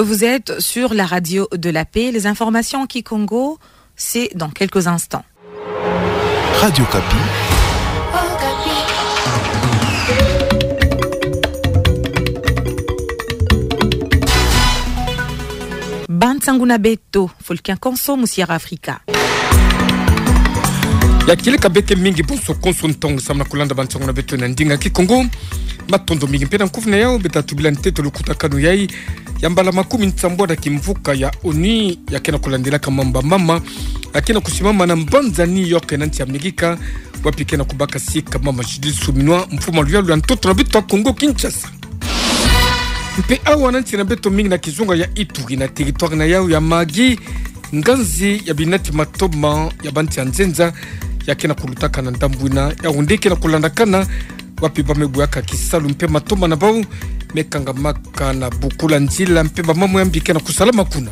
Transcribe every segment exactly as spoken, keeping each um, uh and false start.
Vous êtes sur la radio de la paix. Les informations en kikongo, c'est dans quelques instants. Radio Okapi. Bansangu na beto, Fulkin Konso, mu Sierra Africa. Ya kieleka beke mingi bonso konso ntongo samu na kulanda bansangu na beto na ndinga kikongo. Matondo mingi mpe na nkufi na yau, beta tubila ntete lukutakanu yai ya mbala makumi nsambwadi ya kimvuka ya ONU, ya ke na kulandilaka mambu ya mama, ya ke na kusimama na mbanza New York na nsi Amerika, wapi ke na kubaka sika mama Judith Suminwa, mfumu a luyalu ya ntoto na beto ya Kongo Kinshasa. Mpe awa na nsi na beto mingi na kizunga ya Ituri na territoire na yau ya Mahagi, nganzi ya binati matoma ya bansi ya nzenza ya ke na kulutaka na ndambu ina, yau nde ke na kulandakana, wapi ba me buyaka kisalu mpe matoma na bau me kangamaka na bukula nzila mpe ba mambu ya mbi ke na kusalama kuna.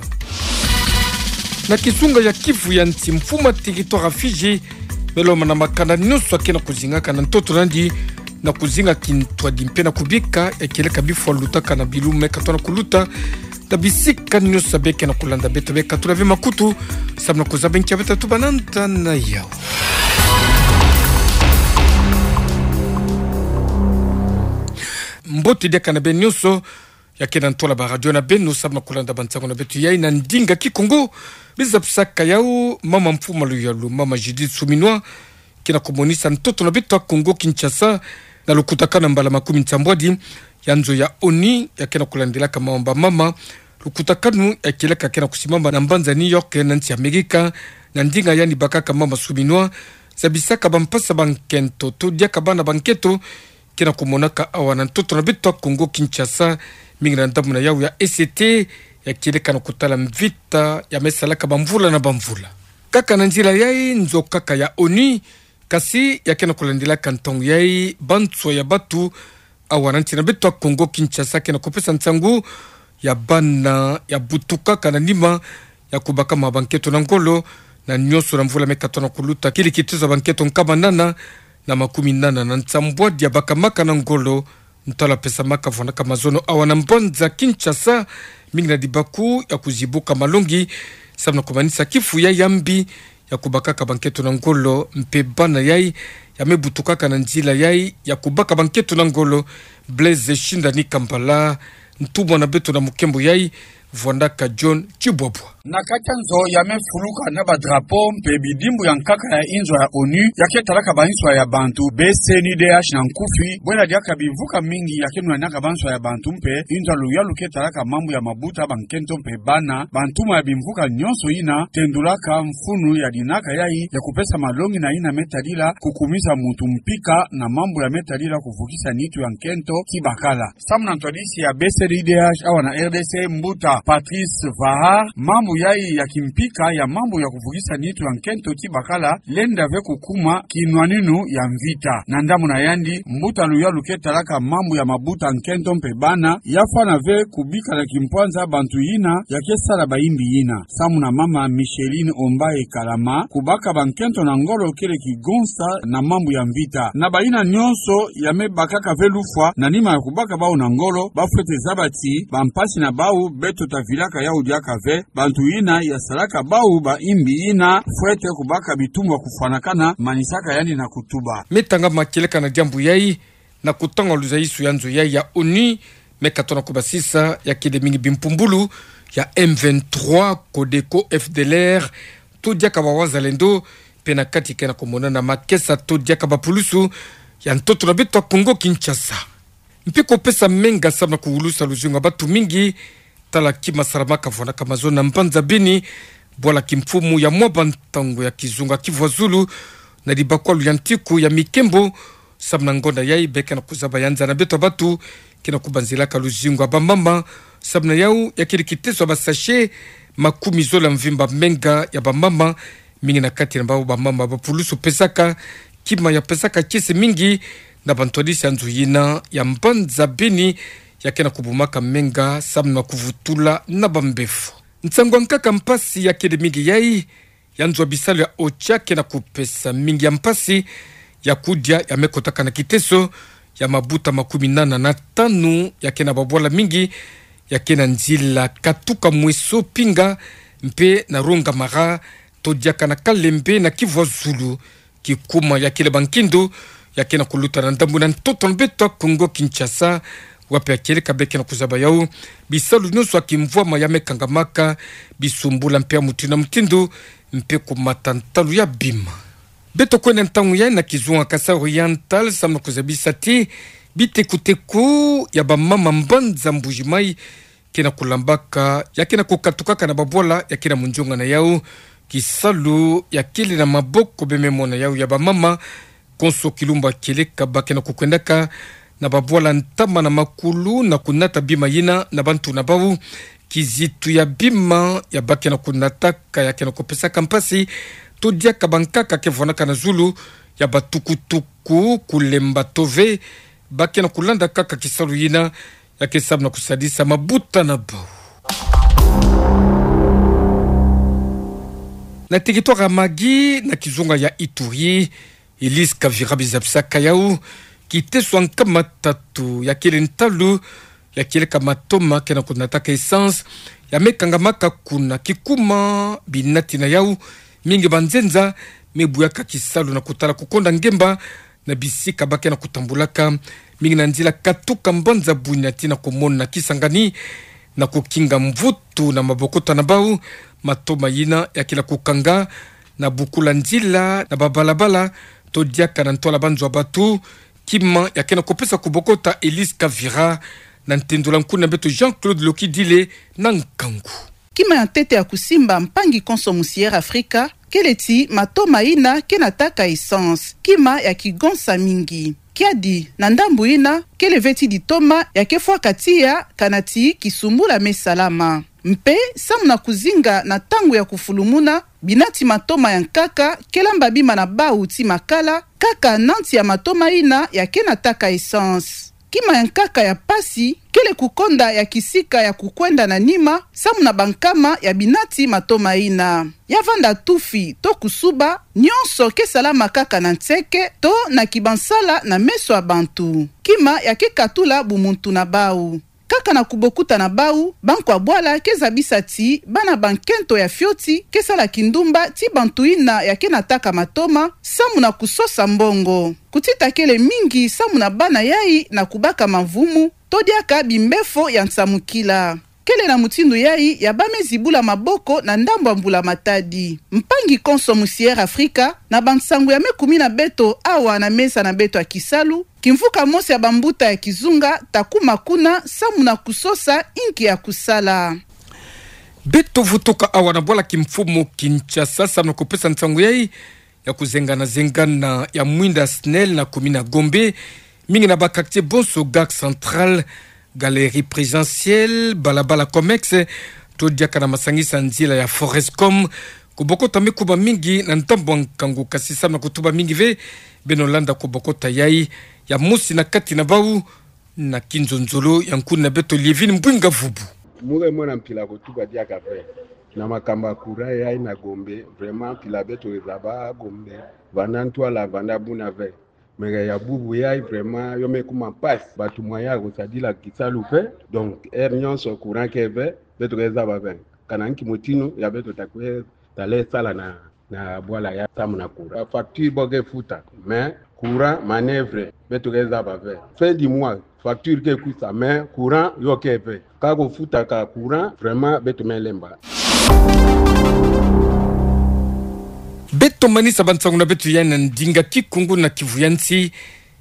Na kizunga ya Kivu ya nsi, mfumu a territoire ya Fidji me lomba na makanda nyonso ya ke na kuzingaka na ntoto na yandi na kuzinga kintwadi mpe na kubika ya kieleka bifu ya lutaka na bilumbu me katuka na kuluta na bisika nyonso ya be ke na kulanda beto, be katula ve makutu samu na kuzaba nki ya beta tuba na nda na yau. Mbote diaka na beno nyonso ya ke na ntola ba radio na beno samu na kulanda bansangu na beto yai na ndinga kikongo. Biza pisaka yau mama mfumu a luyalu, mama Judith Suminwa, ke na kumonisa ntoto na beto ya Kongo Kinshasa na lukutakanu ya mbala makumi nsambwadi ya nzo ya ONU ya ke na kulandilaka mambu ya mama, lukutakanu ya kieleka ke na kusimama na mbanza New York na nsi Amerika, na ndinga yandi bakaka mama Suminwa, zabisaka bampasi ya bankento to diaka bana bankento ke na kumonaka awa na ntoto na beto ya Kongo Kinshasa, mingi na ndambu na yau ya E C T, ya kieleka na kutala mvita ya me salaka bamvula na bamvula. Kaka na nzila yai, nzo kaka ya ONU, kasi ya ke na kulandilaka ntangu yai banswa ya batu awa na nsi na beto ya Kongo Kinshasa ke na kupesa nsangu ya bana ya butukaka na nima ya kubakama bankento na ngolo, na nyonso na mvula me katuka na kuluta, kieleka kitezo ya bankento nkama nana na makumi nana na nsambwadi ya bakamaka na ngolo, ntwala pesamaka vwandaka mazono awa na mbanza Kinshasa, mingi na dibaku ya kuzibuka malongi samu na kumanisa kifu yai ya mbi ya kubakaka bankento na ngolo mpe bana yai ya me butukaka na nzila yai ya kubaka bankento na ngolo. Blaise Shindani Kambala, ntumwa na beto na mukembo yai, vwandaka John Tshibwabwa. Na kati ya nzo ya me fuluka na ba drapeau mpe bidimbu ya nkaka ya inzo ya ONU ya ke talaka banswa ya bantu, B C N U D H na nkufi, bwela diaka bimvuka mingi ya ke nwanaka banswa ya bantu mpe inzo ya luyalu ke talaka mambu ya mabuta bankento mpe bana, bantuma ya bimvuka nyonso ina tendulaka mfunu ya dinaka yai ya kupesa malongi na ina me tadila kukumisa muntu mpika na mambu ya me tadila kuvukisa nitu ya nkento ti bakala. Samu na ntwadisi ya B C N U D H awa na R D C, mbuta Patrice Vahar, mambu yai ya kimpika ya mambu ya kuvukisa nitu ya nkento ti bakala lenda ve kukuma kinwaninu ya mvita. Na ndambu na yandi, mbuta luyalu ke talaka mambu ya mabuta nkento mpe bana, ya fwana ve kubika na kimpwanza bantu yina ya ke sala bayimbi yina. Samu na mama Micheline Ombaye Kalama, kubaka bankento na ngolo kele kigonsa na mambu ya mvita. Na bayina nyonso ya me bakaka ve lufwa na nima ya kubaka bau na ngolo, ba fwete zaba ti bampasi na bau beto ta vilaka yau diaka ve, bantu yina ya salaka bau bayimbi yina fwete kubaka bitumbu ya kufwanakana, manisaka yandi na kutuba. Me tangama kieleka na diambu yai, na kutanga luzayisu ya nzo yai ya ONU, me katono kubasisa ya kele mingi bimpumbulu ya M vingt-trois, Codeco, F D L R, to diaka ba Wazalendo, mpe na kati ke na kumonana makesa to diaka bapulusu ya ntoto na beto ya Kongo Kinshasa. Mpe kupesa menga samu na kuwulusa luzingu ya batu mingi, tala kima salamaka vwandaka mazono na mbanza Beni, bwala kimfumu ya mwa bantangu ya kizunga Kivu ya Zulu, na dibakwalu ya ntiku ya mikembo, samu na ngonda yai be ke na kuzaba ya nza na beto ya batu ke na kubanzilaka luzingu ya bamama, samu na yau ya kele kiteso ya ba sachet makumi zole ya mvimba menga ya bamama, mingi na kati na bau bamama bapulusu pesaka, kima ya pesaka kiese mingi na bantwadisi ya nzo yina ya mbanza Beni, ya ke na kubumaka menga samu na kuvutula na bambefo. Nsangu ya nkaka mpasi ya kele mingi yai, ya nzo ya bisalu ya OCHA ke na kupesa mingi ya mpasi ya kudia ya me kotaka na kiteso ya mabuta makumi nana na tanu ya ke na babwala mingi, ya ke na nzila katuka mweso pinga, mpe na Rouangamara, to diaka na Kalembe na Kivuazulu, kikuma ya kele ba nkindu ya ke na kuluta na ndambu na ntoto na beto ya Kongo Kinshasa, wapi ya kieleka be ke na kuzaba yau bisalu nyonso ya kimvwama ya me kangamaka, bisumbula mpe ya mutindu na mutindu, mpe kumata ntalu ya bima. Beto kwenda ntangu yayi na kizunga Kasaï Oriental, samu na kuzabisa ti bitekuteku ya bamama mbanza Mbuji-Mayi ke na kulambaka, ya ke na kukatukaka na babwala ya ke na munzonga na yau. Kisalu ya kele na maboko be me mona yau ya bamama, konso kilumbu ya kieleka ba ke na kukwendaka na babwala ntama na makulu na kunata bima yina na bantu na bau. Kizitu ya bima ya ba ke na kunataka ya ke na kupesaka mpasi, to diaka bankaka ke vwanaka na zulu ya batukutuku, kulemba to ve, ba ke na kulanda kaka kisalu yina ya ke samu na kusadisa mabuta na bau. Na territoire ya Magui, na kizunga ya Ituri, Elise Kavira bizabisaka yau kiteso ya nkama tatu ya kele ntalu ya kieleka matoma ke na kunataka essence ya me kangamaka kuna, kikuma binati na yau mingi banzenza me buyaka kisalu na kutala kukonda ngemba na bisika ba ke na kutambulaka, mingi na nzila katuka mbanza Bunia tii na kumona Kisangani, na kukinga mvutu na mabokota na bau. Matoma yina ya ke na kukanga na bukula nzila na babalabala, to diaka na ntwala banzo ya bato. Kima ya ke na kupesa kubokota Elise Kavira na ntendula nkuna beto Jean-Claude Lokidile na nkangu. Kima ya ntete ya kusimba, mpangi konso musi Air Africa, kele ti matoma yina ke nataka essence, kima ya kigonsa mingi. Kiadi, na ndambu yina, kele ve ti ditoma ya ke fwaka tiya, kana ti kisumbula me salama. Mpe, samu na kuzinga na ntangu ya kufulumuna, binati matoma ya nkaka ke lamba bima na bau ti makala, kaka nanti ya matoma yina ya ke nataka essence. Kima ya nkaka ya mpasi kele kukonda ya kisika ya kukwenda na nima, samu na bankama ya binati matoma yina. Ya vanda tufi to kusuba, nyonso ke salama kaka na nseke to na kibansala na meso ya bantu. Kima ya ke katula bumuntu na bau. Kaka na kubokuta na bau, bankwa bwala ke zabisa ti bana ba nkento ya fioti ke sala kindumba ti bantu yina ya ke nataka matoma, samu na kusosa mbongo. Kutita kele mingi samu na bana yayi na kubaka mavumu, to diaka bimbefo ya nsamukila. Kele na mutindu yayi ya ba me zibula maboko na ndambu ya mbulamatadi. Mpangi konso musi Air Africa, na bansangu ya me kumina beto awa na mesa na beto ya kisalu, kimvuka mosi ya bambuta ya kizunga ta kuma kuna samu na kusosa inki ya kusala. Beto vutuka awa na bwala kimfumu Kinshasa samu na kupesa nsangu yayi ya kuzengana-zengana ya mwinda SNEL na kumina Gombe, mingi na ba quartier bonso, Gare Centrale, Galerie Présidentielle, balabala Comex, to diaka na masangisa nzila ya Forescom. Kubokota me kuba mingi na ndambu ya nkangu, kasi samu na kutuba mingi ve, beno landa kubokota yayi ya mosi na kati na bau, na kinzonzolo ya nkuna beto Lievine Mbwinga Vubu. Mure mwana mpila kutuka diaka ve. Na makambu ya courant yayi na Gombe, vraiment mpila beto ezaba Gombe, vanda ntwala, vanda buna ve. Mais ya bubu yayi vraiment yo me kuma mpasi, batumwa ya kusadila kisalu ve. Donc heure nyonso courant ke ve, beto ke zaba ve kana nki mutinu ya beto ta kwe tala sala na, na bwala yayi samu na courant. Facture bo ke futa, mais courant manœuvre, beto ke zaba ve. Fin du mois, facture ke kwisa, mais courant yo ke ve. Ka kufutaka courant, vraiment beto me lemba. Beto manisa bansangu na beto yayi na ndinga Kikongo na Kivu ya nsi,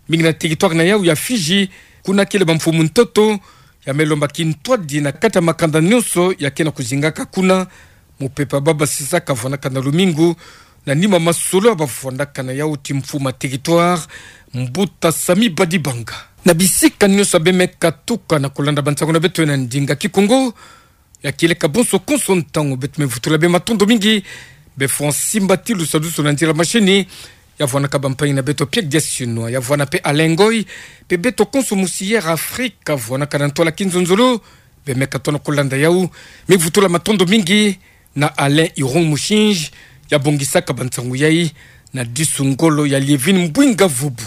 mingi na territoire na yau ya Fidji, kuna kele bamfumu ntoto ya me lomba kintwadi na kati ya makanda nyonso ya ke na kuzingaka kuna. Mupepe ya ba basisa kavwanaka na lumingu, na nima masolo ya bavwandaka na yau ti mfumu ya territoire, Mbuta Sami Badibanga. Na bisika nyonso ya be me katuka na kulanda bansangu na beto na ndinga Kikongo, ya kieleka bonso konso ntangu, beto me vutula be matondo mingi. Be fwa simba ti lusadusu na nzila machine, ya vwanaka bampangi na beto Pierre Diasinois, ya vwana mpe Alain Ngoy, mpe beto konso musi Air Africa vwanaka na ntwala kinzonzolo, be me katono kulanda yau. Me vutula matondo mingi na Alain Iron Mushinji, ya bongisaka bansangu yayi, na disu ngolo ya Lievine Mbwinga Vubu.